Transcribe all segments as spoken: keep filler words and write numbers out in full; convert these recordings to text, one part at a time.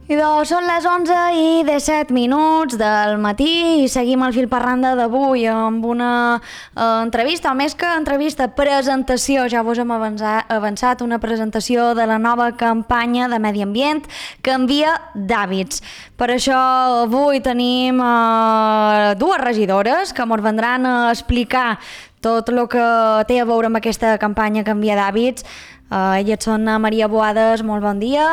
I doncs són les onze i disset minuts del matí i seguim el fil per randa d'avui amb una eh, entrevista, o més que entrevista, presentació, ja vos hem avançat, avançat, una presentació de la nova campanya de medi ambient Canvia d'hàbits. Per això avui tenim eh, dues regidores que ens vendran a explicar tot el que té a veure amb aquesta campanya Canvia d'hàbits. Eh, elles són Maria Boades, molt bon dia.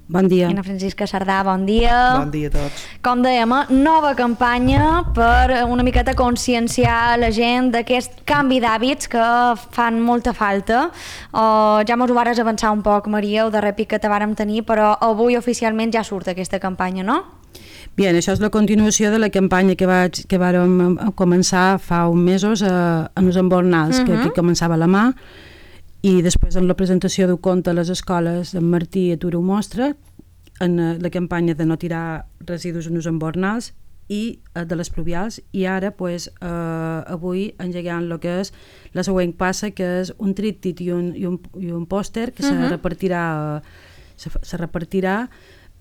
Bon dia. I Ana Francisca Sardà, bon dia. Bon dia a tots. Com dèiem, nova campanya per una miqueta conscienciar la gent d'aquest canvi d'hàbits que fan molta falta. Uh, ja mos ho vares avançar un poc, Maria, el darrer pic que te vàrem tenir, però avui oficialment ja surt aquesta campanya, no? Bien, això és la continuació de la campanya que, vaig, que vàrem començar fa uns mesos a, a Nos Embornals, uh-huh. que, que començava a la mà, i després en la presentació d'un conte a les escoles en Martí Atura ho mostra, en la campanya de no tirar residus en uns embornals i de les pluvials, i ara pues, eh, avui engegant el que és la següent passa, que és un tríptic i un, i un, i un pòster que uh -huh. se repartirà se, se repartirà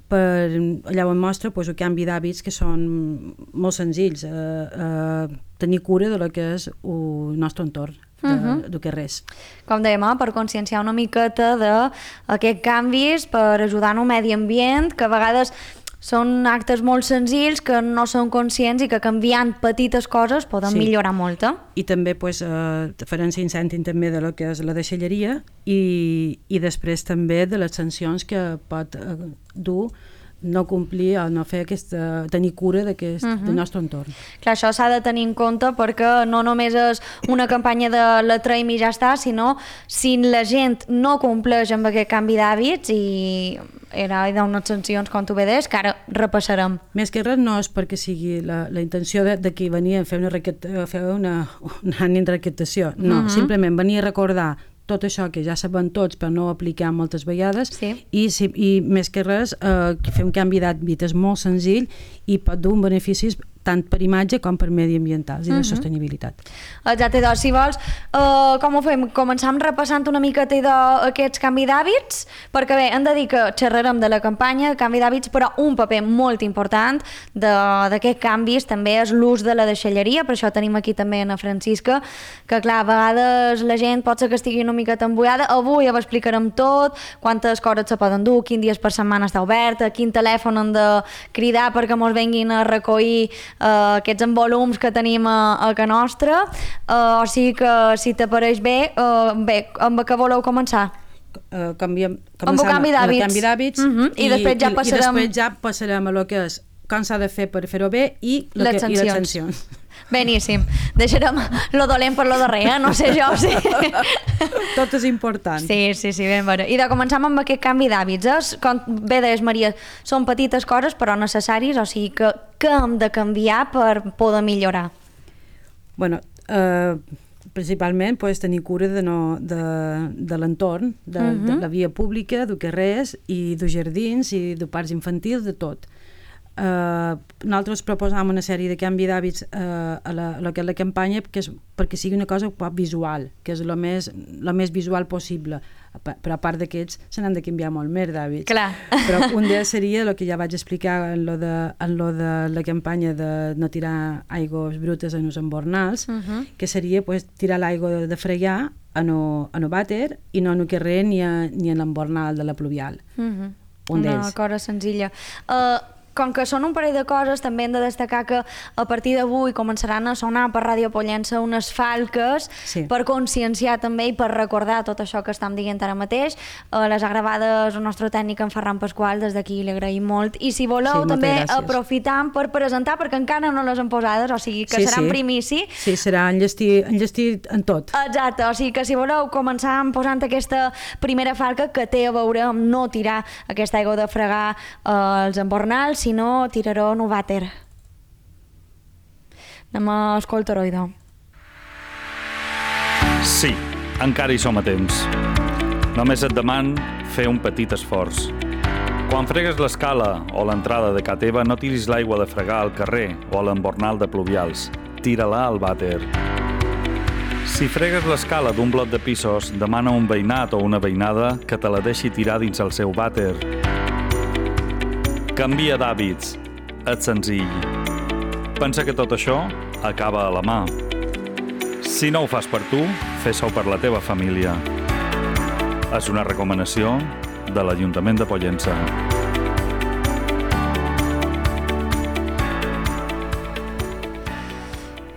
per allà on mostra pues, el canvi d'hàbits que són molt senzills, eh, eh, tenir cura de lo que és el nostre entorn. De, uh-huh. de que res. Com dèiem, eh, per conscienciar una miqueta d'aquests canvis, per ajudar en el medi ambient, que a vegades són actes molt senzills que no són conscients i que canviant petites coses poden sí. millorar molt. Eh? I també pues, eh, farem incèntim també de lo que és la deixalleria i, i després també de les sancions que pot eh, dur no complir o no fer aquesta, tenir cura d'aquest, uh-huh. del nostre entorn. Clar, això s'ha de tenir en compte perquè no només és una campanya de la traïm i ja està, sinó si la gent no compleix amb aquest canvi d'hàbits i era d'unes sancions, com tu bé deies, que ara repassarem. Més que res no és perquè sigui la, la intenció de, de qui venia a fer una, a fer una, una ànim de recaptació, no, uh-huh. simplement venia a recordar tot això que ja sabem tots però no ho apliquem moltes vegades sí. i, si, i més que res eh, fer un canvi d'hàbit és molt senzill i pot dur beneficis tant per imatge com per mediambientals i de uh-huh. sostenibilitat. Exacte, doncs si vols uh, com ho fem? Començam repassant una miqueta d'aquests canvi d'hàbits, perquè bé, hem de dir que xerrarem de la campanya canvi d'hàbits, però un paper molt important d'aquests canvis també és l'ús de la deixalleria, per això tenim aquí també Ana Francisca, que clar, a vegades la gent pot ser que estigui una miqueta embullada, avui ho explicarem tot, quantes coses se poden dur, quins dies per setmana està oberta, quin telèfon hem de cridar perquè mos venguin a recollir Uh, aquests envolums que tenim a, a ca nostra, uh, o sigui que si t'apareix bé, uh, bé, amb què voleu començar? Uh, canviem, amb el canvi d'hàbits, canvi d'hàbits uh -huh. I, I, després ja passarem... i després ja passarem a lo que és com s'ha de fer per fer-ho bé i, les, que, sancions. i les sancions. Beníssim. Deixarem lo dolent per lo darrer, eh? No sé jo, sí. Tot és important. Sí, sí, sí, ben veure. I de començar amb aquest canvi d'hàbits, eh? Com bé deies, Maria, són petites coses però necessàries, o sigui que què hem de canviar per poder millorar? Bueno, eh, principalment pues, tenir cura de, no, de, de l'entorn, de, uh-huh. de la via pública, de carrers i de jardins i de parcs infantils, de tot. Uh, nosaltres proposam una sèrie de canvi d'hàbits uh, a, la, a la que és la campanya que és, perquè sigui una cosa poc visual, que és el més, lo més visual possible, però a part d'aquests se n'han de canviar molt més d'hàbits. Clar. Però un d'ells seria el que ja vaig explicar en lo de, en lo de la campanya de no tirar aigües brutes en els embornals, uh-huh. que seria pues, tirar l'aigua de, de fregar en el vàter i no en el carrer ni, a, ni en l'embornal de la pluvial. Uh-huh. Un una d'ells. cosa senzilla. Uh, Com que són un parell de coses, també hem de destacar que a partir d'avui començaran a sonar per Ràdio Pollença unes falques sí. per conscienciar també i per recordar tot això que estem dient ara mateix. Uh, les ha gravades el nostre tècnic en Ferran Pasqual, des d'aquí li agraïm molt. I si voleu sí, també gràcies. aprofitam per presentar, perquè encara no les han posades, o sigui que sí, serà sí. en primici. Sí, serà enllestir, enllestir en tot. Exacte, o sigui que si voleu començar posant aquesta primera falca que té a veure amb no tirar aquesta aigua de fregar uh, els embornals, si no tiraró en un vàter. Anem a escoltar-ho, idò. Sí, encara hi som a temps. Només et deman fer un petit esforç. Quan fregues l'escala o l'entrada de ca teva, no tiris l'aigua de fregar al carrer o a l'embornal de pluvials. Tira-la al vàter. Si fregues l'escala d'un bloc de pisos, demana a un veïnat o una veïnada que te la deixi tirar dins el seu vàter. Canvia d'hàbits. És senzill. Pensa que tot això acaba a la mà. Si no ho fas per tu, fes-ho per la teva família. És una recomanació de l'Ajuntament de Pollença.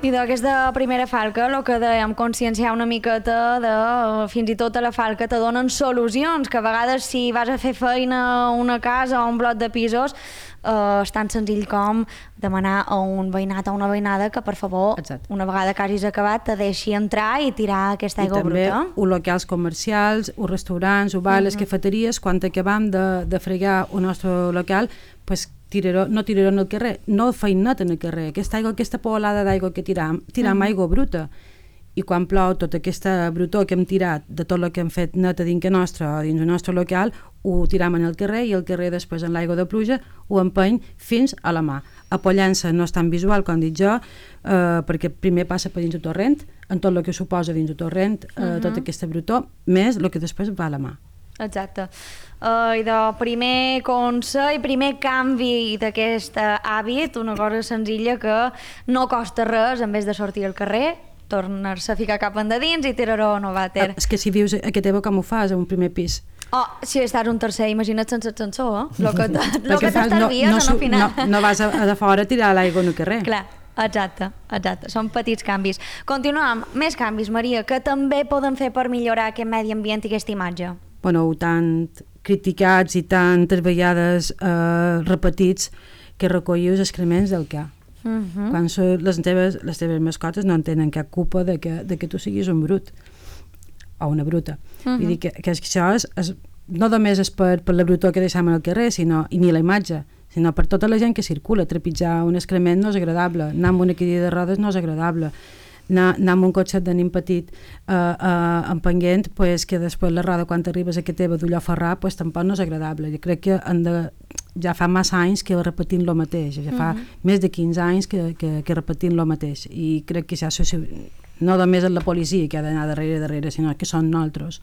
I d'aquesta primera falca, el que dèiem, conscienciar una miqueta de, fins i tot a la falca te donen solucions, que a vegades si vas a fer feina a una casa o un bloc de pisos, eh, és tan senzill com demanar a un veïnat o una veïnada que, per favor, Exacte. una vegada que hagis acabat, te deixi entrar i tirar aquesta aigua bruta. I també els locals comercials, els restaurants, els bars, les uh -huh. cafeteries, quan acabam de, de fregar el nostre local, pues, tiraró, no tirarem al carrer, no feinet en el carrer. Aquesta aigua, aquesta polada d'aigua que tiram, tiram uh -huh. aigua bruta. I quan plou, tota aquesta brutor que hem tirat de tot el que hem fet net a dintre nostre o dins el nostre local, ho tiram en el carrer i el carrer després en l'aigua de pluja ho empeny fins a la mà. A Pollença no és tan visual, com dic jo, eh, perquè primer passa per dins el torrent, en tot el que suposa dins el torrent, eh, uh -huh. tota aquesta brutor, més el que després va a la mà. Exacte. Uh, I de primer consell, primer canvi d'aquest hàbit, una cosa senzilla que no costa res, en vez de sortir al carrer, tornar-se a ficar cap endins i tirar-ho no vàter. És que si vius a Cateva, com ho fas, a un primer pis? Oh, si estàs un tercer, imagina't sense ascensor, eh? Lo que t'estalvies no, no, en el final. No, no vas a, a de fora a tirar l'aigua en el carrer. Clar, exacte, exacte. Són petits canvis. Continuem. Més canvis, Maria, que també poden fer per millorar aquest medi ambient i aquesta imatge. Bueno, tant criticats i tantes vegades eh, repetits que recollir els excrements del ca. Uh -huh. Quan són les teves, les teves mascotes no en tenen cap culpa de que, de que tu siguis un brut o una bruta. Uh -huh. Vull dir que, que això és, és, no només és per, per la brutor que deixem al carrer, sinó, i ni la imatge, sinó per tota la gent que circula. Trepitjar un excrement no és agradable, anar amb una cadira de rodes no és agradable, anar, anar amb un cotxet de nin petit uh, uh, empenguent, pues, que després la roda quan arribes a Cateva d'ullò ferrar pues, tampoc no és agradable. Jo crec que han de, ja fa massa anys que repetint lo mateix, ja fa uh-huh. més de quinze anys que, que, que repetint lo mateix, i crec que ja no només és la policia que ha d'anar darrere darrere, sinó que són nosaltres.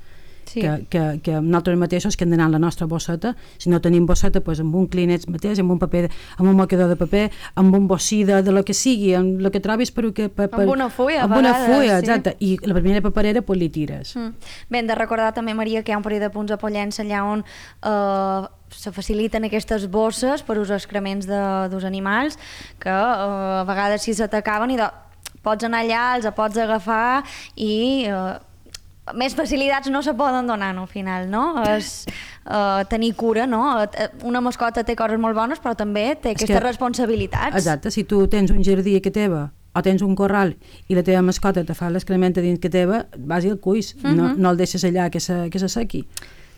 Sí. Que, que, que nosaltres mateixos que hem d'anar a la nostra bosseta, si no tenim bosseta, pues, amb un Kleenex mateix, amb un paper, amb un mocador de paper, amb un bocí de, de lo que sigui, amb el que trobis per, per, per, amb una fulla, amb una fulla, exacte, sí. I la primera paperera pues, li tires. Mm. Bé, hem de recordar també, Maria, que hi ha un període de punts a Pollença allà on eh, se faciliten aquestes bosses per als excrements dels animals, que eh, a vegades si se t'acaben i de, pots anar allà, els pots agafar i eh, més facilitats no se poden donar, no, al final, no? És uh, tenir cura, no? Una mascota té coses molt bones, però també té aquestes que, responsabilitats. Exacte, si tu tens un jardí a Cateva o tens un corral i la teva mascota te fa l'excrement dins Cateva, vas i el cuis, uh -huh. no, no el deixes allà que se, que se sequi.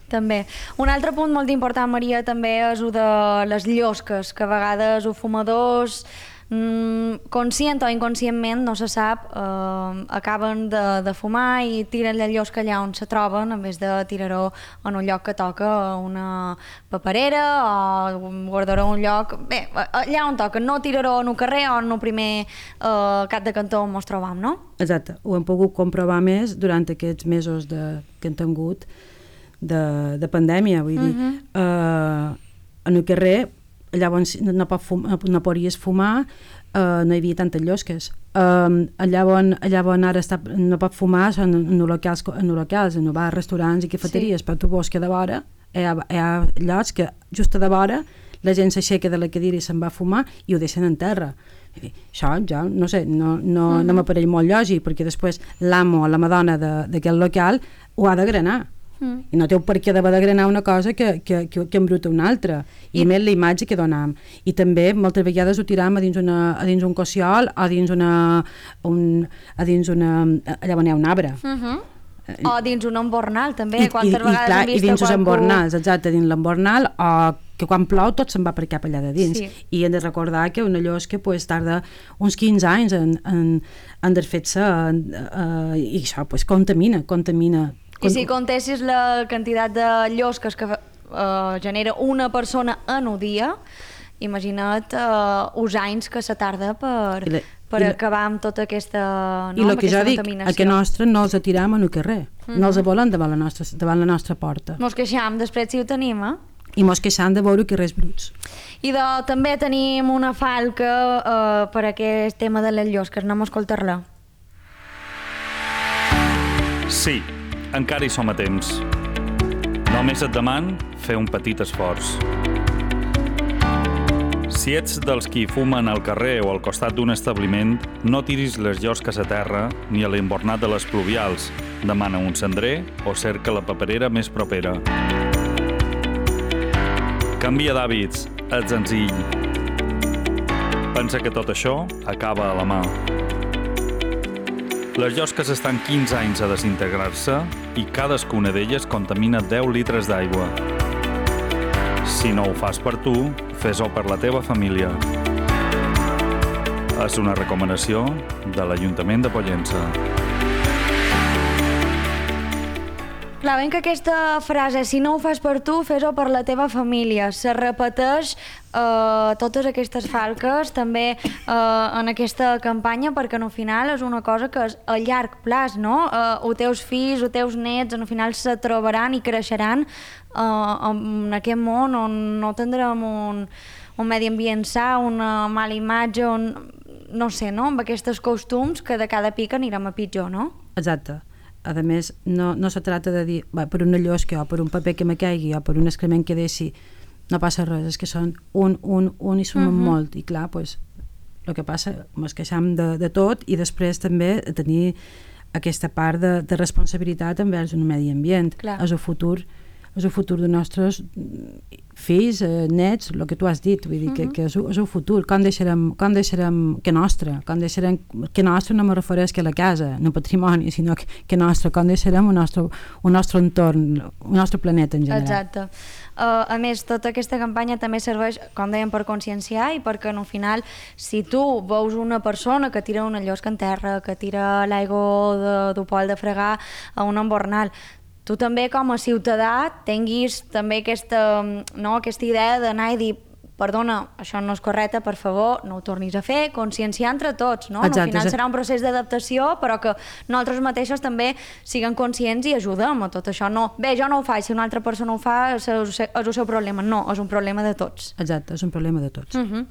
També. Un altre punt molt important, Maria, també és el de les llosques, que a vegades els fumadors Mm, conscient o inconscientment, no se sap, eh, acaben de, de fumar i tiren la llosca allà on se troben en vez de tirar-ho en un lloc que toca, una paperera o guardar-ho en un lloc, bé, allà on toca, no tirar-ho en un carrer o en un primer eh, cap de cantó on ens trobam, no? Exacte, ho hem pogut comprovar més durant aquests mesos de, que hem tingut de, de pandèmia, vull dir, uh-huh. eh, en el carrer llavors no, pot fumar, no podries fumar, uh, no hi havia tantes llosques. Uh, allà, on, allà on ara està, no pot fumar són en locals, en locals, en bars, restaurants i cafeteries, sí. Però tu veus que de vora hi ha, hi ha llocs que just de vora la gent s'aixeca de la cadira i se'n va a fumar i ho deixen en terra. Això ja, no sé, no, no, uh-huh. no m'apareix molt lògic, perquè després l'amo o la madona d'aquest local ho ha de granar. Mm. I no té per què d'haver de granar una cosa que, que, que, que embruta una altra, i, I més la imatge que donam. I també moltes vegades ho tiram a dins, una, a dins un cossiol o a dins una, un, a dins una allà on hi ha un arbre. Uh-huh. O dins un embornal també, I, quantes i, vegades clar, hem vist i dins qualcú... els embornals, exacte, dins l'embornal, o que quan plou tot se'n va per cap allà de dins. Sí. I hem de recordar que una llosca pues, tarda uns quinze anys en, en, en desfer-se uh, i això pues, contamina, contamina. I si comptessis la quantitat de llosques que uh, genera una persona en un dia, imagina't uh, els anys que se tarda per, la, per la, acabar amb tota aquesta, no, i amb el que aquesta jo dic, a que nostre no els atiram en el carrer, mm -hmm. no els volen davant la nostra, davant la nostra porta. Mos queixam després si ho tenim, eh? i mos queixant de veure carrers bruts. I de, també tenim una falca eh, per aquest tema de les llosques, anem a escoltar-la. Sí, encara hi som a temps. Només et deman fer un petit esforç. Si ets dels qui fumen al carrer o al costat d'un establiment, no tiris les llosques a terra ni a l'embornat de les pluvials. Demana un cendrer o cerca la paperera més propera. Canvia d'hàbits, ets senzill. Pensa que tot això acaba a la mà. Les llosques estan quinze anys a desintegrar-se i cadascuna d'elles contamina deu litres d'aigua. Si no ho fas per tu, fes-ho per la teva família. És una recomanació de l'Ajuntament de Pollença. Clar, ben que aquesta frase, si no ho fas per tu, fes-ho per la teva família, se repeteix eh, totes aquestes falques també eh, en aquesta campanya, perquè al final és una cosa que és a llarg plaç, no? Eh, els teus fills, els teus nets, al final se trobaran i creixeran eh, en aquest món on no tindrem un, un medi ambient sa, una mala imatge, on, no sé, no? Amb aquests costums que de cada pica anirem a pitjor, no? Exacte. A més, no, no se trata de dir va, per una llosca o per un paper que me caigui o per un excrement que deixi, no passa res, és que són un, un, un i sumen uh -huh. molt, i clar, pues, el que passa, ens queixam de, de tot i després també tenir aquesta part de, de responsabilitat envers un medi ambient, clar. És el futur és el futur dels nostres fills, eh, nets, el que tu has dit, vull dir, uh -huh. que, que és, és el futur, com deixarem, com deixarem que nostre, com deixarem, que nostre no me refereix que la casa, no patrimoni, sinó que, que nostre, com deixarem un nostre, un nostre entorn, un nostre planeta en general. Exacte. Uh, a més, tota aquesta campanya també serveix, com dèiem, per conscienciar i perquè al final, si tu veus una persona que tira una llosca en terra, que tira l'aigua d'un pol de fregar a un embornal, tu també com a ciutadà tinguis també aquesta, no, aquesta idea d'anar i dir perdona, això no és correcte, per favor, no ho tornis a fer, conscienciar entre tots, no? Exacte, al final serà un procés d'adaptació, però que nosaltres mateixos també siguem conscients i ajudem a tot això. No, bé, jo no ho faig, si una altra persona ho fa és el seu problema. No, és un problema de tots. Exacte, és un problema de tots. Uh -huh.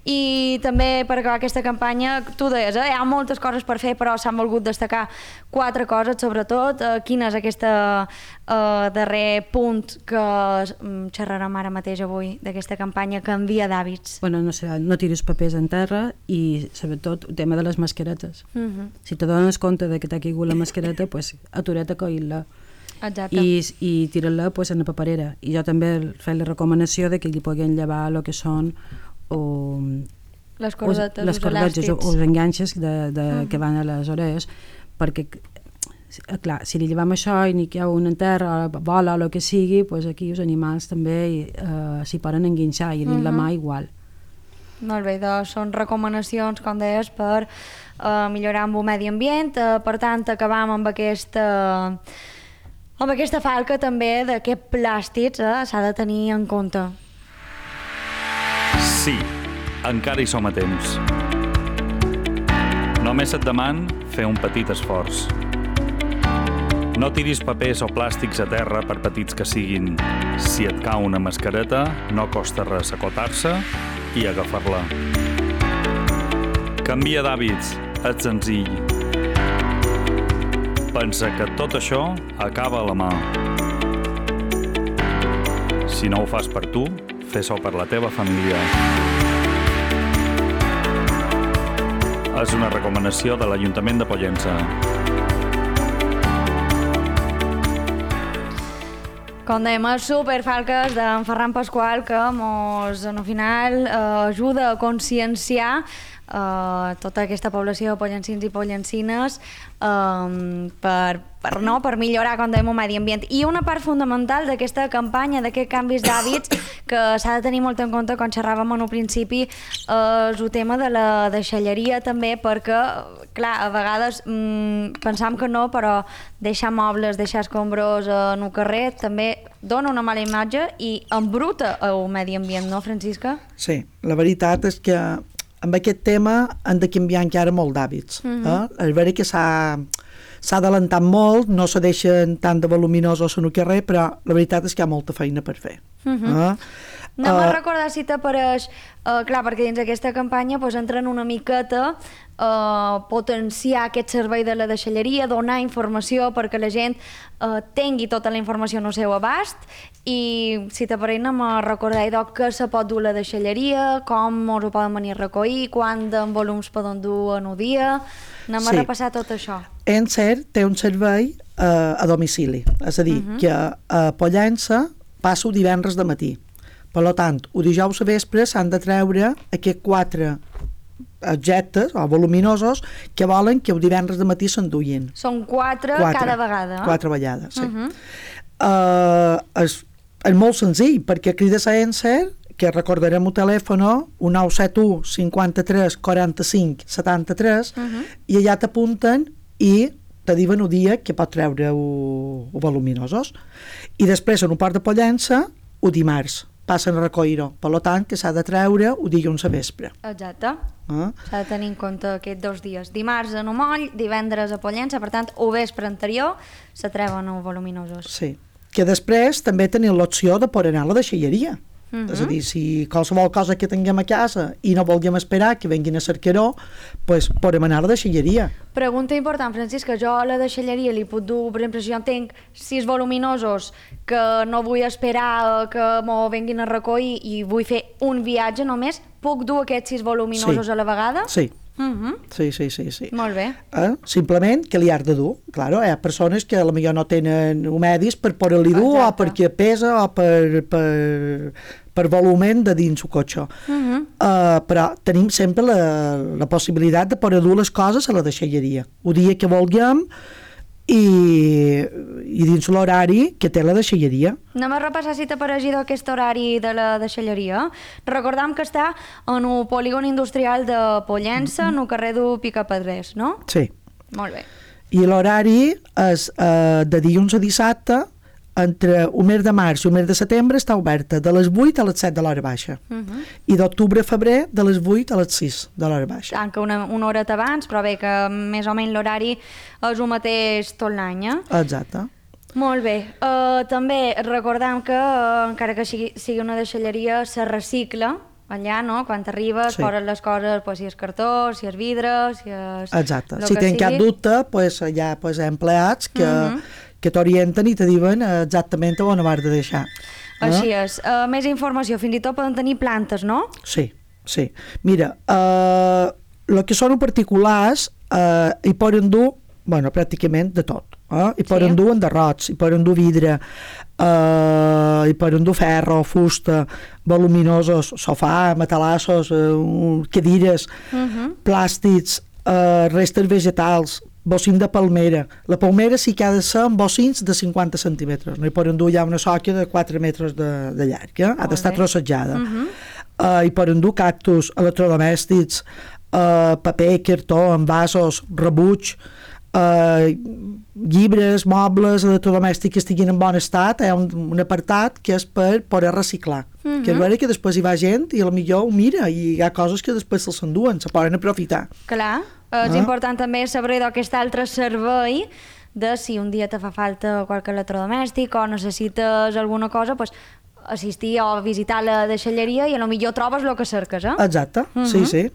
I també per acabar aquesta campanya, tu deies, eh, hi ha moltes coses per fer, però s'han volgut destacar quatre coses, sobretot. Eh, quin és aquest eh, darrer punt que xerrarem ara mateix avui d'aquesta campanya que canvia d'hàbits? Bueno, no sé, no tiris papers en terra i sobretot el tema de les mascaretes. Uh -huh. Si te dones compte de que t'ha caigut la mascareta, pues, atura't a coir-la. Exacte. I, i tira-la pues, en la paperera. I jo també faig la recomanació de que li puguin llevar el que són o, les cordetes, les cordetes o els enganxes de, de, uh -huh. que van a les orelles, perquè clar, si li llevam això i n'hi ha un en terra, vola o el que sigui, pues aquí els animals també eh, s'hi poden enganxar i dins uh -huh. la mà igual. Molt bé, doncs són recomanacions, com deies, per eh, millorar amb el medi ambient. Eh, per tant, acabam amb aquesta, amb aquesta falca també d'aquests plàstics, eh, s'ha de tenir en compte. Sí, encara hi som a temps. Només et deman fer un petit esforç. No tiris papers o plàstics a terra per petits que siguin. Si et cau una mascareta, no costa res acotar-se i agafar-la. Canvia d'hàbits, ets senzill. Pensa que tot això acaba a la mà. Si no ho fas per tu, fes-ho per la teva família. És una recomanació de l'Ajuntament de Pollença. Com dèiem, els superfalques d'en Ferran Pasqual, que mos, al final, eh, ajuda a conscienciar eh, tota aquesta població de pollencins i pollencines eh, per, per, no, per millorar, com dèiem, el medi ambient. I una part fundamental d'aquesta campanya, d'aquests canvis d'hàbits, que s'ha de tenir molt en compte, quan xerràvem en un principi, eh, és el tema de la deixalleria també, perquè, clar, a vegades mm, pensam que no, però deixar mobles, deixar escombros en el carrer també dona una mala imatge i embruta el medi ambient, no, Francisca? Sí, la veritat és que amb aquest tema han de canviar encara molt d'hàbits. Uh -huh. eh? És vera que s'ha s'ha adelantat molt, no se deixen tant de voluminosos en el carrer, però la veritat és que hi ha molta feina per fer. Uh -huh. eh? No uh, me'n Uh, recordar si t'apareix, uh, clar, perquè dins aquesta campanya pues, entren una miqueta uh, potenciar aquest servei de la deixalleria, donar informació perquè la gent uh, tingui tota la informació en el seu abast, i si t'apareix no me recordar idò que se pot dur a la deixalleria, com us ho poden venir a recollir, quant de volums poden dur en un dia, anem sí. a repassar tot això. Encer té un servei uh, a domicili, és a dir, uh -huh. que a Pollença passo divendres de matí. Per tant, el dijous a vespre s'han de treure aquests quatre objectes o voluminosos que volen que el divendres de matí s'enduïn. Són quatre, quatre cada vegada. Quatre vegades, sí. Uh-huh. uh, és, és molt senzill, perquè crides a Encer, que recordarem el telèfon, un nou set u cinquanta-tres quaranta-cinc setanta-tres, uh-huh. i allà t'apunten i te diuen el dia que pot treure els voluminosos. I després, en un port de Pollença, el dimarts passen a recollir-ho. Per tant, que s'ha de treure el dilluns a vespre. Exacte. Eh? S'ha de tenir en compte aquests dos dies. Dimarts a Nomoll, divendres a Pollença, per tant, o vespre anterior se treuen els voluminosos. Sí. Que després també tenim l'opció de poder anar a la deixalleria. Uh-huh. És a dir, si qualsevol cosa que tinguem a casa i no vulguem esperar que venguin a cercar-ho, doncs podem anar a la deixalleria. Pregunta important, Francisca, jo a la deixalleria li puc dur, per exemple, si jo tinc sis voluminosos que no vull esperar que m'ho venguin a recollir i vull fer un viatge només, puc dur aquests sis voluminosos sí. a la vegada? Sí. Uh-huh. Sí, sí, sí, sí. Molt bé. Eh? Simplement que li has de dur. Claro, hi ha persones que potser no tenen medis per poder-li dur, o perquè pesa, o per, per, per volumen de dins el cotxe. Uh-huh. uh, però tenim sempre la, la possibilitat de poder dur les coses a la deixalleria. El dia que vulguem, i, i dins l'horari que té la deixalleria. Anem a repassar si t'ha aparegut aquest horari de la deixalleria. Recordam que està en el polígon industrial de Pollença, mm-hmm. en el carrer du Picapedrers, no? Sí. Molt bé. I l'horari és eh, de dilluns a dissabte, entre el mes de març i el mes de setembre està oberta de les vuit a les set de l'hora baixa. Uh-huh. I d'octubre a febrer de les vuit a les sis de l'hora baixa. Tanca una, una horeta abans, però bé que més o menys l'horari és el mateix tot l'any, eh? Exacte. Molt bé. Uh, també recordam que, uh, encara que sigui, sigui una deixalleria, se recicla allà, no? Quan t'arribes, sí. Poses les coses, pues, si és cartó, si és vidre, si és... Exacte. Si tens cap dubte, pues, hi ha pues, empleats que... Uh-huh. que t'orienten i te diuen exactament on ho has de deixar. Així eh? és. Uh, més informació, fins i tot poden tenir plantes, no? Sí, sí. Mira, el uh, que són particulars uh, hi poden dur, bueno, pràcticament de tot. Eh? Hi poden sí. dur enderrots, hi poden dur vidre, uh, hi poden dur ferro, fusta, voluminosos, sofà, matalassos, uh, cadires, uh-huh. plàstics, uh, restes vegetals, bocins de palmera. La palmera sí que ha de ser amb bocins de cinquanta centímetres. No hi poden dur ja una sòquia de quatre metres de, de llarg. Eh? Ha d'estar trossejada. Uh-huh. uh, hi poden dur cactus, electrodomèstics, uh, paper, cartó, envasos, rebuig, uh, llibres, mobles, electrodomèstics que estiguin en bon estat. Hi ha un, un apartat que és per poder reciclar. Uh-huh. Que és vera que després hi va gent i potser ho mira i hi ha coses que després se'ls enduen, se poden aprofitar. Clar. És ah. important també saber d'aquest altre servei de si un dia te fa falta qualque electrodomèstic o necessites alguna cosa, pues, assistir o visitar la deixalleria i potser trobes el que cerques, eh? Exacte, uh-huh. sí, sí.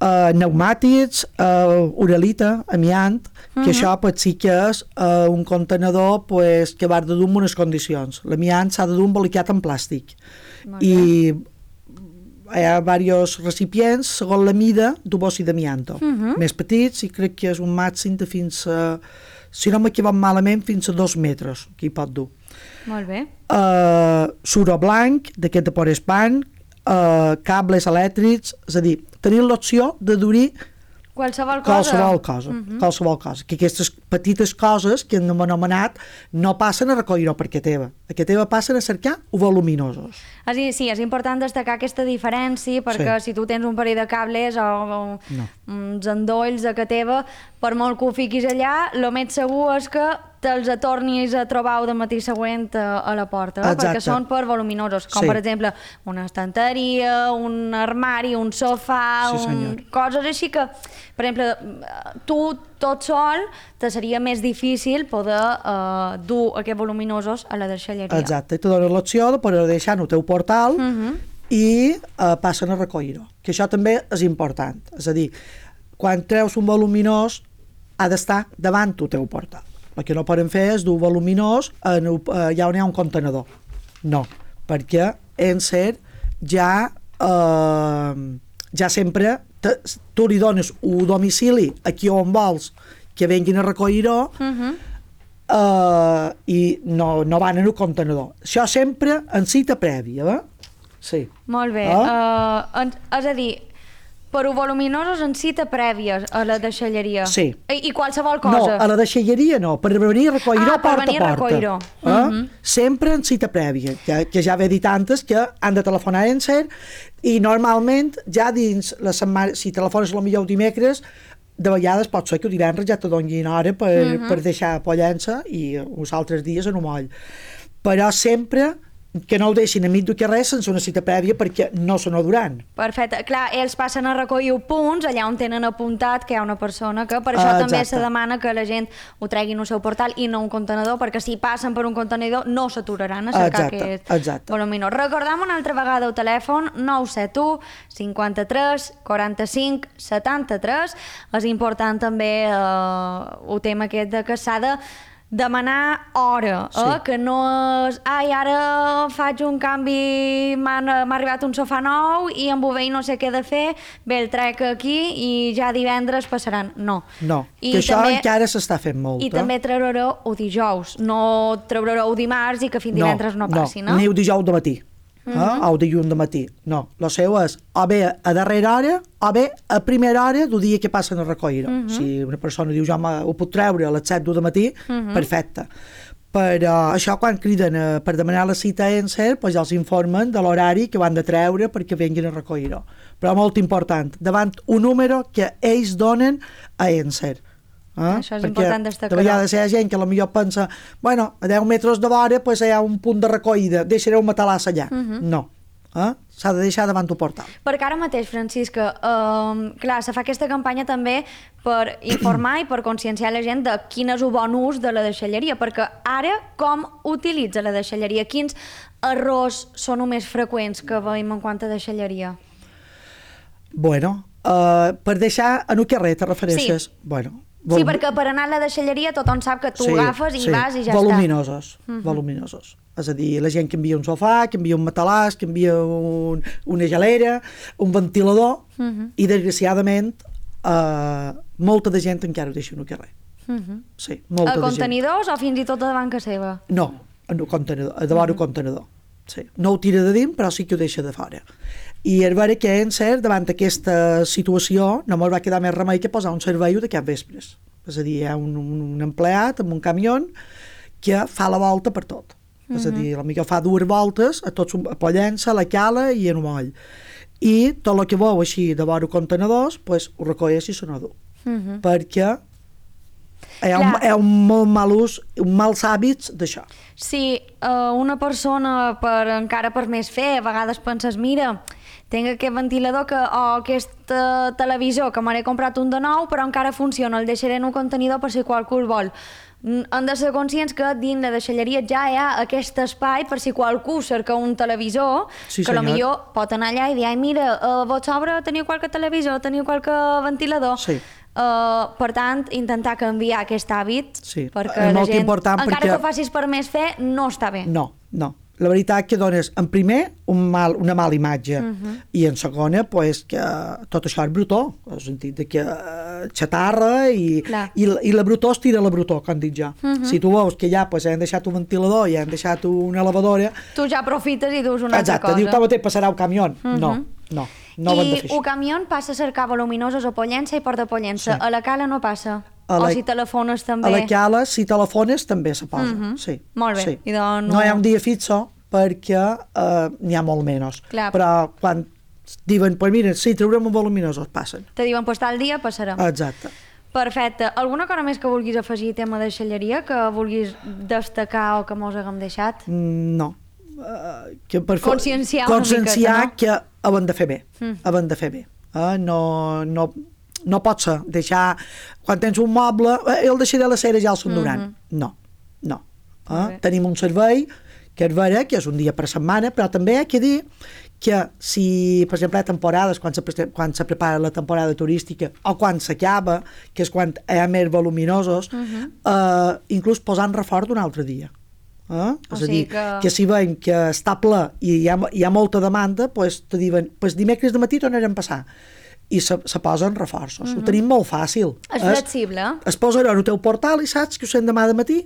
Uh, pneumàtics, uh, uralita, amiant, uh-huh. que això pues, sí que és uh, un contenedor pues, que va de dur en unes condicions. L'amiant s'ha de dur embolicat en plàstic. I hi ha diversos recipients segons la mida d'un bocí d'amianto. Uh-huh. Més petits, i crec que és un màxim de fins a, si no m'equivoco malament, fins a dos metres que hi pot dur. Molt bé. Uh, suro blanc, d'aquest de porespan, uh, cables elèctrics, és a dir, tenir l'opció de dur-hi qualsevol cosa. Qualsevol cosa, uh-huh. qualsevol cosa. Que aquestes petites coses que hem anomenat no passen a recollir-ho perquè teva. Perquè teva passen a cercar voluminosos. Sí, sí, és important destacar aquesta diferència perquè sí. Si tu tens un parell de cables o, o no. uns endolls a que teva, per molt que ho fiquis allà, el més segur és que te'ls tornis a trobar de matí següent a, a la porta, eh? Perquè són per voluminosos, com sí. per exemple una estanteria, un armari, un sofà, sí, un... coses així que, per exemple, tu tot sol te seria més difícil poder uh, dur aquests voluminosos a la deixalleria. Exacte, i te donen l'opció de poder deixar en el teu portal uh -huh. i uh, passen a recollir-ho, que això també és important, és a dir, quan treus un voluminós ha d'estar davant el teu portal. El que no poden fer és dur voluminós en, uh, allà on hi ha un contenedor. No, perquè Ensar ja eh, ja sempre te, tu li dones un domicili aquí on vols que venguin a recollir-ho uh -huh. eh, i no, no van en el contenedor. Això sempre en cita prèvia, eh? Sí. Molt bé. Uh, en, és a dir, per voluminosos en cita prèvia a la deixalleria. Sí. I, I qualsevol cosa. No, a la deixalleria no, per venir a recollir-ho ah, porta venir a porta. A eh? uh -huh. Sempre en cita prèvia, que, que ja ve dit antes que han de telefonar a Ensar i normalment ja dins la setmana, si telefones potser el dimecres, de vegades pot ser que el divendres ja te donin hora per, uh -huh. per deixar pollença i uns altres dies en un moll. Però sempre que no ho deixin a mig del carrer sense una cita prèvia perquè no se n'adoran. Perfecte. Clar, ells passen a recollir punts allà on tenen apuntat que hi ha una persona que per això uh, també se demana que la gent ho treguin al seu portal i no un contenedor, perquè si passen per un contenidor no s'aturaran a cercar exacte, aquest voluminós. Recordam una altra vegada el telèfon nou set u cinquanta-tres quaranta-cinc setanta-tres. És important també eh, el tema aquest de que s'ha de demanar hora, eh? Sí. Que no és ai, ara faig un canvi, m'ha arribat un sofà nou i amb bovell no sé què de fer, bé, el trec aquí i ja divendres passaran. No. No, I que això també, encara s'està fent molt. I eh? també treureu el dijous, no treureu dimarts i que fins divendres no, no passi, no? No, ni el dijous de matí. Uh -huh. eh? O dilluns de matí. No, el seu és o bé a darrera hora o bé a primera hora del dia que passen a recollir-ho. Uh -huh. Si una persona diu jo ho puc treure a les set del matí, uh -huh. perfecte. Però això quan criden a, per demanar la cita a Ensar, doncs ja els informen de l'horari que van de treure perquè vinguin a recollir-ho. Però molt important, davant un número que ells donen a Ensar. Eh? Això és perquè important destacar. De vegades hi ha gent que potser pensa bueno, a deu metres de vora pues, hi ha un punt de recollida, deixaré un matalàs allà. Uh -huh. No, eh? S'ha de deixar davant el portal. Perquè ara mateix, Francisca, eh, clar, se fa aquesta campanya també per informar i per conscienciar la gent de quin és el bon ús de la deixalleria, perquè ara com utilitza la deixalleria? Quins errors són els més freqüents que veiem en quant a deixalleria? Bueno, uh, per deixar en el carrer te refereixes? Sí. Bueno, Sí, perquè per anar a la deixalleria tothom sap que tu sí, agafes i sí. vas i ja voluminosos, està. Voluminosos. És a dir, la gent que envia un sofà, que envia un matalàs, que envia un, una gelera, un ventilador, uh -huh. i desgraciadament eh, molta de gent encara ho deixa en el carrer. Uh -huh. Sí, molta a de contenidors gent. O fins i tot a davant casa seva? No, en el contenidor, a davant uh -huh. el contenedor. Sí. No ho tira de dins, però sí que ho deixa de fora. I és vera que Ensar, davant aquesta situació, no ens va quedar més remei que posar un servei de cap vespres. És a dir, hi ha un, un, un empleat amb un camió que fa la volta per tot. Uh -huh. És a dir, potser fa dues voltes a tots, a Pollença, a la Cala i en un moll. I tot el que veu així de vora contenedors, pues, ho recolleix i se n'ho du. Uh -huh. Perquè hi ha, un, hi ha un molt mal ús, un mals hàbits d'això. Si uh, una persona, per, encara per més fer, a vegades penses, mira, tinc aquest ventilador que, o aquest uh, televisor que m'he comprat un de nou però encara funciona, el deixaré en un contenidor per si qualcú el vol. Han de ser conscients que dins la deixalleria ja hi ha aquest espai per si qualcú cerca un televisor, sí, que potser pot anar allà i dir, ai mira, a vos sobre teniu qualque televisor, teniu qualque ventilador. Sí. Uh, per tant, intentar canviar aquest hàbit, sí. perquè és la molt gent, important encara perquè... que ho facis per més fer, no està bé. No, no. La veritat que dones, en primer, un mal, una mala imatge, uh -huh. i en segona, pues, que tot això és brutó, en el sentit de que uh, xatarra i, i, i la brutó es tira la brutó, com dic jo. Uh -huh. Si tu veus que ja pues, han deixat un ventilador i han deixat una lavadora... Tu ja aprofites i dus una exacte, altra cosa. Diu, com te passarà el camió? Uh -huh. No, no. No I el camió passa a cercar voluminosos a Pollença i Port de Pollença. Sí. A la Cala no passa? La, o si telefones també? A la Cala, si telefones, també se posa. Uh -huh. Sí. Molt bé. Sí. I doncs no... no hi ha un dia fixo perquè uh, n'hi ha molt menys. Clar. Però quan diuen, pues mira, sí, treurem un voluminosos, passen. Te diuen, pues tal dia passarà. Exacte. Perfecte. Alguna cosa més que vulguis afegir tema de deixalleria, que vulguis destacar o que mos haguem deixat? No. Uh, que per conscienciar conscienciar una miqueta, no? que ho hem de fer bé, mm. ho hem de fer bé. Uh, no, no, no pot ser deixar, quan tens un moble, eh, el deixaré a la cera ja el s'enduran. Mm-hmm. No, no. Eh? Tenim un servei que és vera, que és un dia per setmana, però també hi ha que dir que si, per exemple, hi ha temporades, quan se, quan se prepara la temporada turística, o quan s'acaba, que és quan hi ha més voluminosos, uh-huh. eh, inclús posant reforç d'un altre dia. Eh? És a dir, que... que si veiem que està ple i hi ha, hi ha molta demanda, pues, te diuen, pues, dimecres de matí tornarem a passar. I se, se posen reforços. Uh-huh. Ho tenim molt fàcil. És flexible. Es, es posa en el teu portal i saps que ho sent demà de matí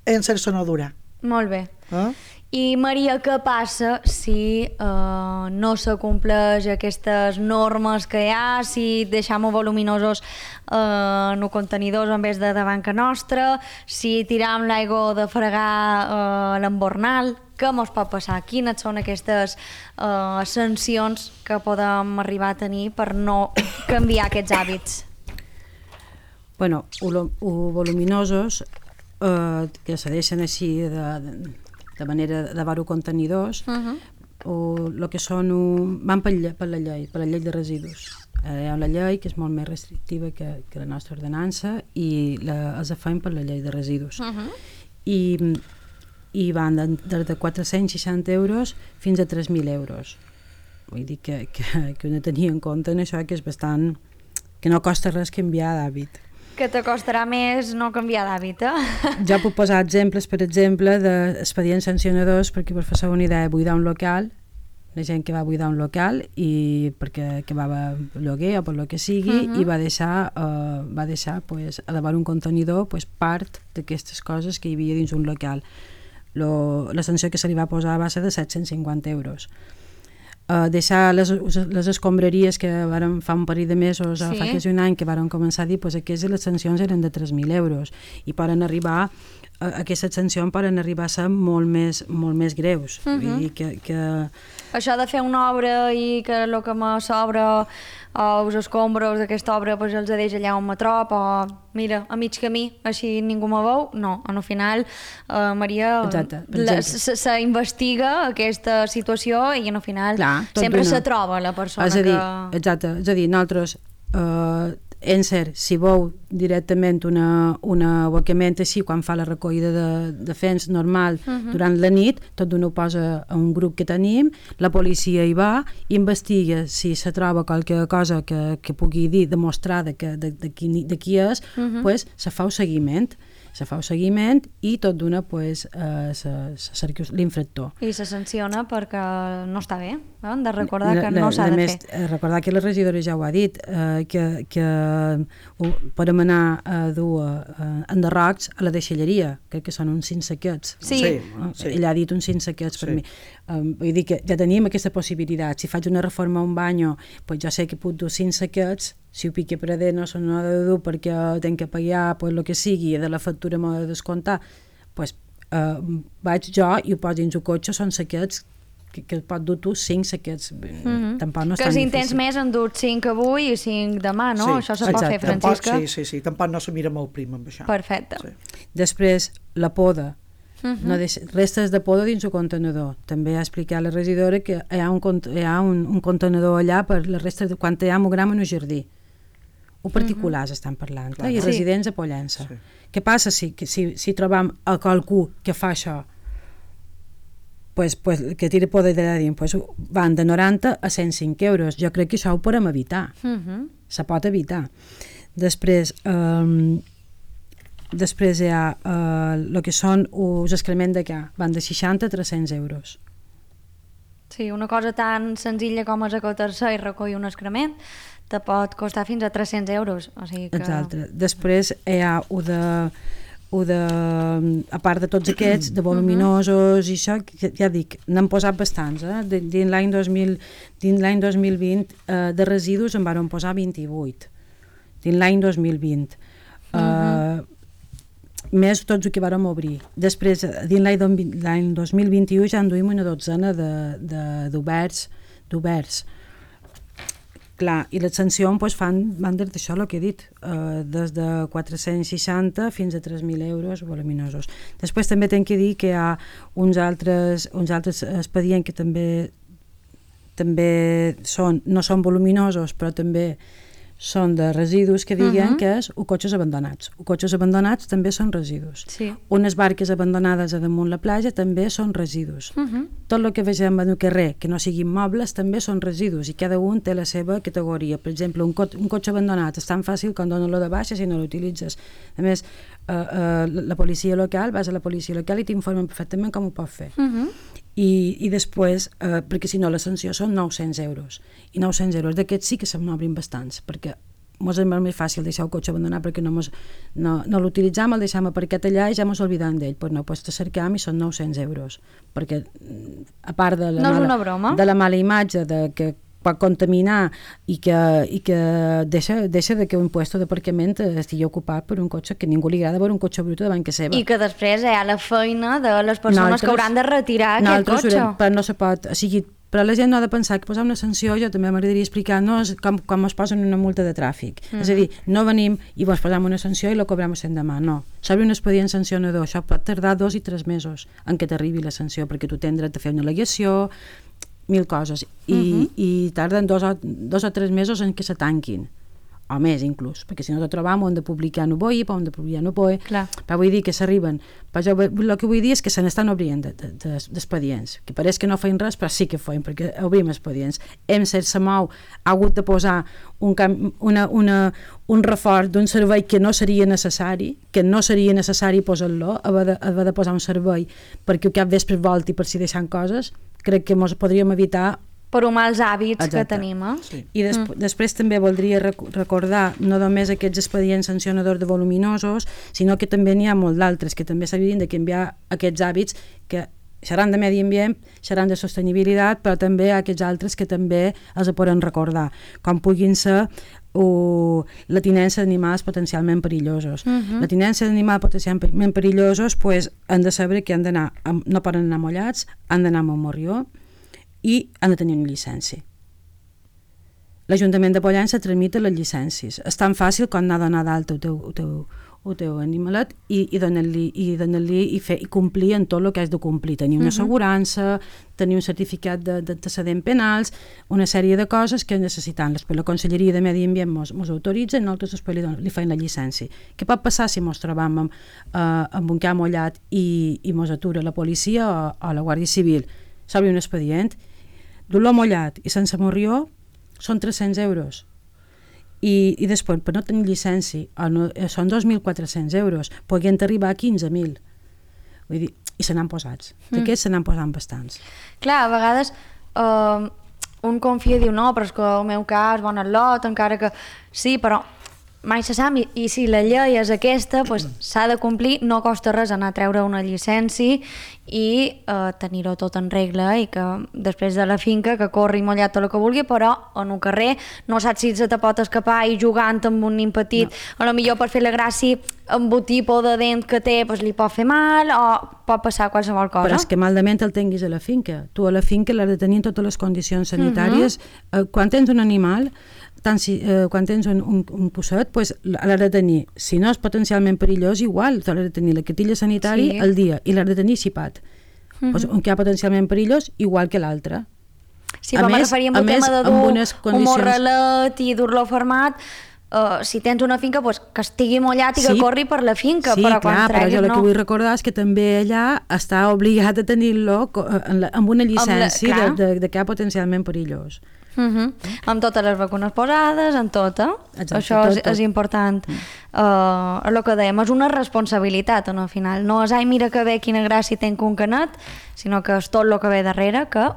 en sense no durar. Molt bé. Eh? I Maria, què passa si uh, no s'acompleix aquestes normes que hi ha, si deixam voluminosos uh, no contenidors en vez de davant que nostra, si tiram l'aigua de fregar uh, l'embornal, què mos pot passar? Quines són aquestes uh, sancions que podem arribar a tenir per no canviar aquests hàbits? Bueno, o voluminosos eh, que se deixen així de, de, de manera de dar-ho contenidors, uh-huh. o el que són un, van per, per la llei, per la llei de residus. Eh, hi ha una llei que és molt més restrictiva que, que la nostra ordenança i la, els afem per la llei de residus. Uh-huh. I, i van de, de, de quatre-cents seixanta euros fins a tres mil euros. Vull dir que, que, que ho tenia en compte en això, que és bastant... que no costa res canviar d'hàbit. Que te costarà més no canviar d'hàbit, eh? Jo puc posar exemples, per exemple, d'expedients sancionadors perquè, per fer-se una idea, buidar un local, la gent que va buidar un local i perquè que va lloguer o per lo que sigui, uh-huh. i va deixar, uh, va deixar pues, a davant un contenidor pues, part d'aquestes coses que hi havia dins un local. Lo, la sanció que se li va posar va ser de set-cents cinquanta euros. Uh, deixar les, les escombraries que varen fa un parell de mesos sí. o fa quasi un any que varen començar a dir pues, aquestes les sancions eren de tres mil euros i poden arribar, uh, aquestes sancions poden arribar a ser molt més, molt més greus. Uh-huh. Vull dir que, que... Això de fer una obra i que el que me sobra o els escombros d'aquesta obra pues, els deix allà on me trob o mira, a mig camí, així ningú me veu, no, en el final uh, Maria, s'investiga aquesta situació i en el final clar, sempre se troba la persona és a dir, que... Exacte, és a dir, nosaltres uh, en cert, si veu directament una, una abocament així quan fa la recollida de, de fens normal uh-huh. durant la nit, tot d'una ho posa a un grup que tenim, la policia hi va, investiga si se troba qualque cosa que, que pugui dir, demostrada que de, de, qui, de qui és, uh-huh. pues, se fa un seguiment se fa un seguiment i tot d'una pues, eh, se, se cerca l'infractor. I se sanciona perquè no està bé, eh? Hem de recordar que la, no s'ha de més, fer. Recordar que la regidora ja ho ha dit, eh, que, que uh, podem anar a dur uh, enderrocs a la deixalleria, crec que són uns cinc saquets. Sí. Sí, uh, sí. Ella ha dit uns cinc saquets per sí. mi. Um, vull dir que ja tenim aquesta possibilitat. Si faig una reforma a un banyo, pues jo sé que puc dur cinc saquets. Si ho pique per a dins no no ha de dur perquè tenc que pagar pues, el que sigui i de la factura m'ho de descomptar, pues, uh, vaig jo i ho poso dins el cotxe, són saquets que, que pot dur tu cinc saquets. Mm-hmm. Tampoc no és que tan si en difícil. tens més en dut cinc avui i cinc demà, no? Sí, això se pot fer, Francisca? Tampoc, sí, sí, sí, tampoc no se mira molt prim amb això. Perfecte. Sí. Després, la poda. Uh-huh. No deixa, restes de poda dins el contenedor. També ha explicat la regidora que hi ha un, hi ha un, un contenedor allà per les restes de quan hi ha un gram en un jardí. O particulars uh-huh. estan parlant, eh? I sí. residents a Pollença. Sí. Què passa si, si, si trobam a qualcú que fa això? Pues, pues, que tira poda de dins, pues, van de noranta a cent cinc euros. Jo crec que això ho podem evitar. Uh-huh. Se pot evitar. Després... Um, Després hi ha el eh, que són els excrements de ca, van de seixanta a tres-cents euros. Sí, una cosa tan senzilla com és acotar-se i recollir un excrement te pot costar fins a tres-cents euros. O sigui que... Exacte. Després hi ha o de, o de, a part de tots aquests, de voluminosos i això, que ja dic, n'han posat bastants. Eh? Dins l'any dos mil, dins l'any dos mil vint eh, de residus en van posar vint-i-vuit. Dins l'any dos mil vint. Eh, uh-huh. Més tots el que vàrem obrir. Després, dins l'any dos mil vint-i-u ja en duim una dotzena d'oberts. d'oberts. Clar, i les sancions pues, fan, van des d'això el que he dit, eh, des de quatre-cents seixanta fins a tres mil euros voluminosos. Després també tenc que dir que hi ha uns altres, uns altres expedients que també, també són, no són voluminosos, però també són de residus que diguen Uh-huh. que és o cotxes abandonats. O cotxes abandonats també són residus. Sí. Unes barques abandonades a damunt la platja també són residus. Uh-huh. Tot el que vegem en el carrer que no siguin mobles també són residus i cada un té la seva categoria. Per exemple, un, co un cotxe abandonat és tan fàcil com donar-lo de baixa si no l'utilitzes. A més, eh, eh, la policia local, vas a la policia local i t'informen perfectament com ho pots fer. Uh-huh. I, i després, eh, perquè si no la sanció són nou-cents euros, i nou-cents euros d'aquests sí que se'n obrin bastants, perquè mos és molt més fàcil deixar el cotxe abandonat perquè no, mos, no, no l'utilitzam, el deixam aparcat allà i ja mos oblidam d'ell. Pues no, pues te cercam i són nou-cents euros, perquè a part de la, no és mala, una broma. de la mala imatge de que pot contaminar i que, i que deixa, deixa de que un puesto d'aparcament estigui ocupat per un cotxe que ningú li agrada veure un cotxe brut davant que seva. I que després hi ha la feina de les persones Nosaltres, que hauran de retirar aquest cotxe. Haurem, però no se pot, o sigui, però la gent no ha de pensar que posar una sanció, jo també m'agradaria explicar-nos com, com es posen una multa de tràfic. Mm. És a dir, no venim i vos posam una sanció i la cobrem l'endemà, no. S'obre un expedient sancionador, això pot tardar dos i tres mesos en què t'arribi la sanció, perquè tu tens dret a fer una al·legació, mil coses, i, uh-huh. i tarden dos o, dos o tres mesos en què se tanquin, o més inclús, perquè si no te trobam ho hem de publicar no boi, ho hem de publicar no boi, però vull dir que s'arriben, però jo el que vull dir és que se n'estan obrint d'expedients, que pareix que no feien res, però sí que feien, perquè obrim expedients. Hem set se mou, ha hagut de posar un, una, una, un reforç d'un servei que no seria necessari, que no seria necessari posar-lo, haver de, haver de posar un servei perquè cap vespre volti per si deixant coses, crec que ens podríem evitar per uns mals hàbits. Exacte. Que tenim. Eh? Sí. I des mm. després també voldria rec recordar no només aquests expedients sancionadors de voluminosos, sinó que també n'hi ha molt d'altres que també s'haurien de canviar aquests hàbits que seran de medi ambient, seran de sostenibilitat, però també aquests altres que també els poden recordar, com puguin ser o la tinença d'animals potencialment perillosos. Uh-huh. La tinença d'animals potencialment perillosos pues, han de saber que han d'anar, no poden anar mollats, han d'anar amb un morrió i han de tenir una llicència. L'Ajuntament de Pollença tramita les llicències. És tan fàcil com anar a donar d'alta el teu, el teu, el teu animalet i, i donar-li i, donar i, fer, i complir en tot el que has de complir. Tenir una uh-huh. assegurança, tenir un certificat d'antecedents penals, una sèrie de coses que necessitem. Després la Conselleria de Medi Ambient mos, mos autoritza i nosaltres després li, li feim la llicència. Què pot passar si mos trobam amb, uh, amb un camp mollat i, i mos atura la policia o, o la Guàrdia Civil? S'obre un expedient, d'olor mollat i sense morrió són tres-cents euros. I, i després, per no tenir llicència, no, són dos mil quatre-cents euros, podrien arribar a quinze mil. Vull dir, i se n'han posats. D'aquests mm. se n'han posat bastants. Clar, a vegades uh, un confia i diu, no, però és que el meu cas, bon lot, encara que... Sí, però mai se sap, i, i si la llei és aquesta, pues, s'ha de complir, no costa res anar a treure una llicència i eh, tenir-ho tot en regla i que després de la finca que corri mollat tot el que vulgui, però en un carrer no saps si se te pot escapar i jugant amb un nin petit, no. A lo millor per fer la gràcia amb un tipus de dent que té pues, li pot fer mal o pot passar qualsevol cosa. Però és que malament el tinguis a la finca. Tu a la finca l'has de tenir totes les condicions sanitàries. Uh-huh. eh, quan tens un animal, tant si, eh, quan tens un, un, un posset, pues, l'has de tenir, si no és potencialment perillós, igual, l'has de tenir la cartilla sanitària sí. al dia i l'has de tenir xipat. Uh-huh. Pues, un que ha potencialment perillós, igual que l'altre. Sí, però me referíem al tema de dur condicions... un morralet i dur-lo format. Uh, si tens una finca, pues, que estigui mullat i sí, que corri per la finca, sí, però quan clar, treguis però jo no. El que vull recordar és que també allà està obligat a tenir-lo amb una llicència amb la, de, de, de que ha potencialment perillós. Uh-huh. Amb totes les vacunes posades, en tot, eh? Exacte, això tot, és, tot. és important. Mm. Uh, el que dèiem, és una responsabilitat, no, al final. No és, ai, mira que bé, quina gràcia tenc un canet, sinó que és tot el que ve darrere, que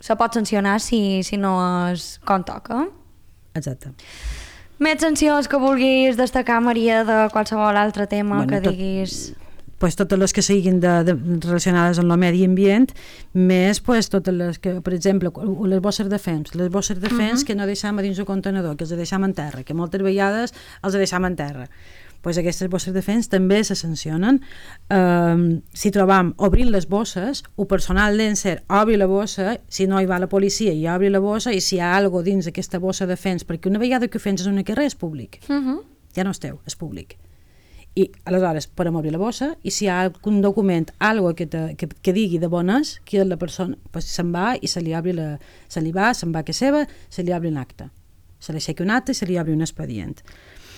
se pot sancionar si, si no és com toca. Exacte. Més sancions que vulguis destacar, Maria, de qualsevol altre tema bueno, que tot... diguis... Pues totes les que siguin de, de, relacionades amb el medi ambient, més pues, totes les que, per exemple, les bosses de fems, les bosses de fems uh-huh. que no deixam a dins el contenedor, que els deixam en terra, que moltes vegades els deixam en terra. Pues aquestes bosses de fems també se sancionen. Um, si trobam obrint les bosses, el personal d'Enser obri la bossa, si no hi va la policia i obri la bossa, i si hi ha alguna dins aquesta bossa de fems, perquè una vegada que ho fens és una carrer és públic, uh-huh. ja no és teu, és públic. I aleshores podem obrir la bossa i si hi ha algun document, algo que, te, que, que digui de bones, que la persona pues, se'n va i se li, obri la, se li va, se'n va que seva, se li obre un acte. se l'aixequi un acte i se li obri un expedient.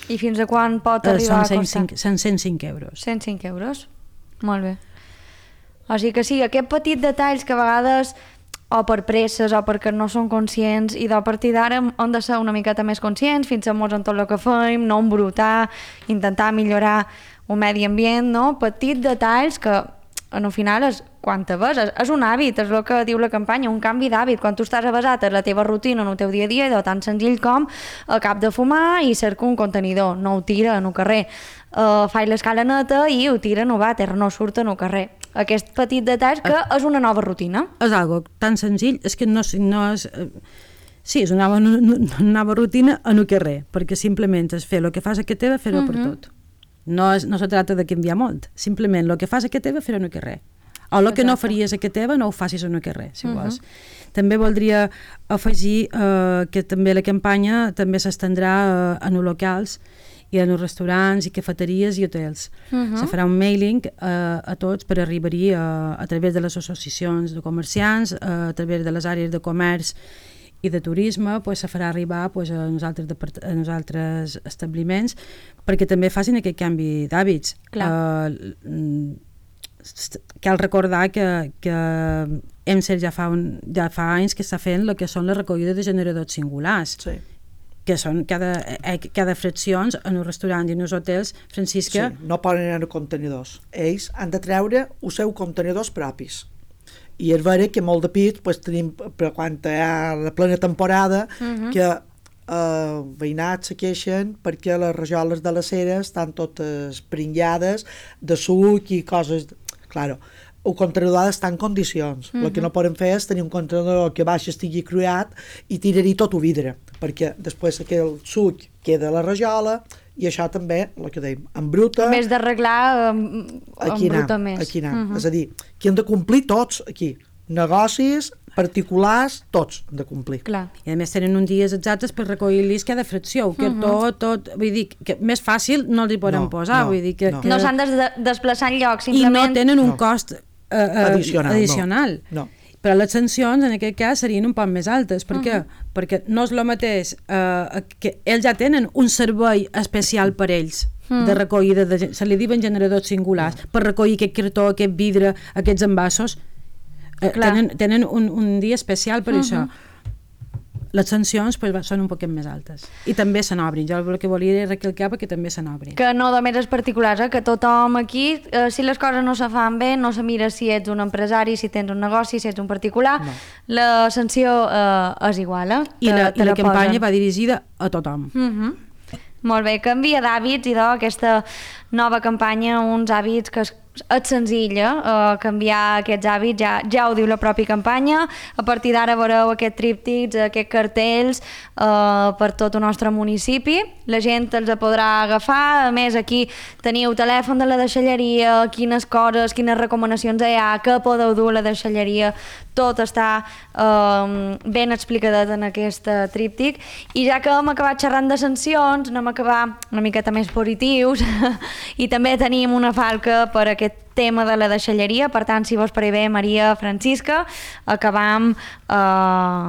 I fins a quan pot Eh, arribar són a costar? Són cent cinc euros. cent cinc euros. Molt bé. O sigui que sí, aquest petit detalls que a vegades o per presses o perquè no són conscients i de partir d'ara hem de ser una miqueta més conscients, fins-nos en tot el que fem, no embrutar, intentar millorar el medi ambient, no? Petits detalls que en el final és, quan te ves, és, és un hàbit, és el que diu la campanya, un canvi d'hàbit. Quan tu estàs avasat a la teva rutina, en el teu dia a dia, és tan senzill com a cap de fumar i cerca un contenidor, no ho tira en el carrer. Uh, faig l'escala neta i ho tira en el vàter, no surt en el carrer. Aquest petit detall que és una nova rutina. És algo tan senzill, és que no, no és... Eh, sí, és una nova, una nova rutina en el carrer, perquè simplement és fer el que fas a que teva, fer-ho uh -huh. per tot. No, és, no se tracta de canviar molt, simplement el que fas a que teva, fer-ho en el carrer. O el que no faries a que teva, no ho facis en el carrer, si uh -huh. vols. També voldria afegir eh, que també la campanya també s'estendrà eh, en els locals i en els restaurants i cafeteries i hotels. Uh -huh. Se farà un mailing eh, a tots per arribar-hi eh, a través de les associacions de comerciants, eh, a través de les àrees de comerç i de turisme, pues, se farà arribar pues, a, nosaltres a nosaltres establiments perquè també facin aquest canvi d'hàbits. Uh, cal recordar que, que hem set ja fa, un, ja fa anys que està fent el que són les recollides de generadors singulars. Sí. Que són cada, cada fraccions en els restaurants i en els hotels, Francisca... Sí, no poden anar a contenidors. Ells han de treure els seus contenidors propis. I és vera que molt de pit pues, tenim, però quan hi ha la plena temporada, uh -huh. que eh, veïnats se queixen perquè les rajoles de les ceres estan totes pringades de suc i coses... Claro, el contenidor ha d'estar en condicions. Uh -huh. El que no podem fer és tenir un contenidor que baix estigui cruat i tirar-hi tot el vidre, perquè després aquell suc queda a la rajola i això també, el que dèiem, embruta... En vez d'arreglar, um, embruta més. Aquí anar. Uh -huh. És a dir, que hem de complir tots aquí. Negocis, particulars, tots hem de complir. Clar. I a més tenen uns dies exactes per recollir-los cada fracció, que uh -huh. tot, tot, vull dir, que més fàcil no els hi podem no, posar, no, vull dir que... No, que... no s'han de desplaçar en lloc, simplement... I no tenen un no. cost eh, eh, addicional. addicional. No. no. Però les sancions, en aquest cas, serien un poc més altes. Per què? Uh -huh. Perquè no és el mateix eh, que ells ja tenen un servei especial per ells, uh -huh. de recollida, de, se li diuen generadors singulars, uh -huh. per recollir aquest cartó, aquest vidre, aquests envasos. Eh, tenen, tenen un, un dia especial per uh -huh. això. Les sancions pues, són un poquet més altes. I també se n'obrin. Jo el que volia era recalcar perquè també se n'obrin. Que no només els particulars, eh? Que tothom aquí, eh, si les coses no se fan bé, no se mira si ets un empresari, si tens un negoci, si ets un particular, no. La sanció eh, és igual. Eh? I la, i la campanya va dirigida a tothom. Uh -huh. Molt bé, canvia d'hàbits, i d'aquesta nova campanya, uns hàbits que es és senzill, eh? Canviar aquests hàbits, ja, ja ho diu la pròpia campanya. A partir d'ara veureu aquests tríptics, aquests cartells eh, per tot el nostre municipi. La gent els podrà agafar. A més, aquí teniu telèfon de la deixalleria, quines coses, quines recomanacions hi ha, què podeu dur a la deixalleria. Tot està eh, ben explicadet en aquest tríptic. I ja que hem acabat xerrant de sancions, anem a acabar una miqueta més positius i també tenim una falca per aquest tema de la deixalleria. Per tant, si vos pare bé, Maria, Francisca, acabam eh,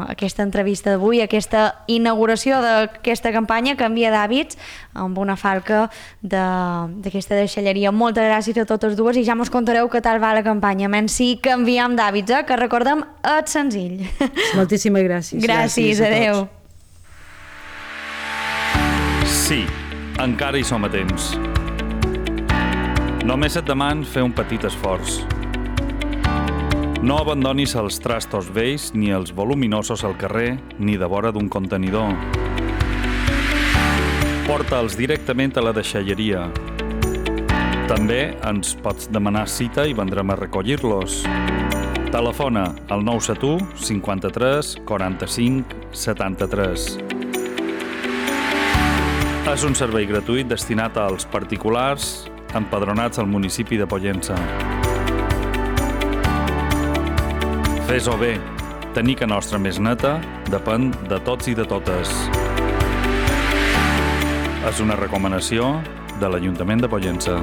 aquesta entrevista d'avui, aquesta inauguració d'aquesta campanya Canvia d'hàbits, amb una falca d'aquesta de, deixalleria. Moltes gràcies a totes dues i ja mos contareu què tal va la campanya. Menys si canviem d'hàbits, eh? Que recordem, és senzill. Moltíssimes gràcies. Gràcies, gràcies adeu. Sí, encara hi som a temps. Només et deman fer un petit esforç. No abandonis els trastos vells ni els voluminosos al carrer ni de vora d'un contenidor. Porta'ls directament a la deixalleria. També ens pots demanar cita i vendrem a recollir-los. Telefona al nou set u cinquanta-tres quaranta-cinc setanta-tres. És un servei gratuït destinat als particulars empadronats al municipi de Pollença. Fes-ho bé. Tenir que nostra més neta depèn de tots i de totes. És una recomanació de l'Ajuntament de Pollença.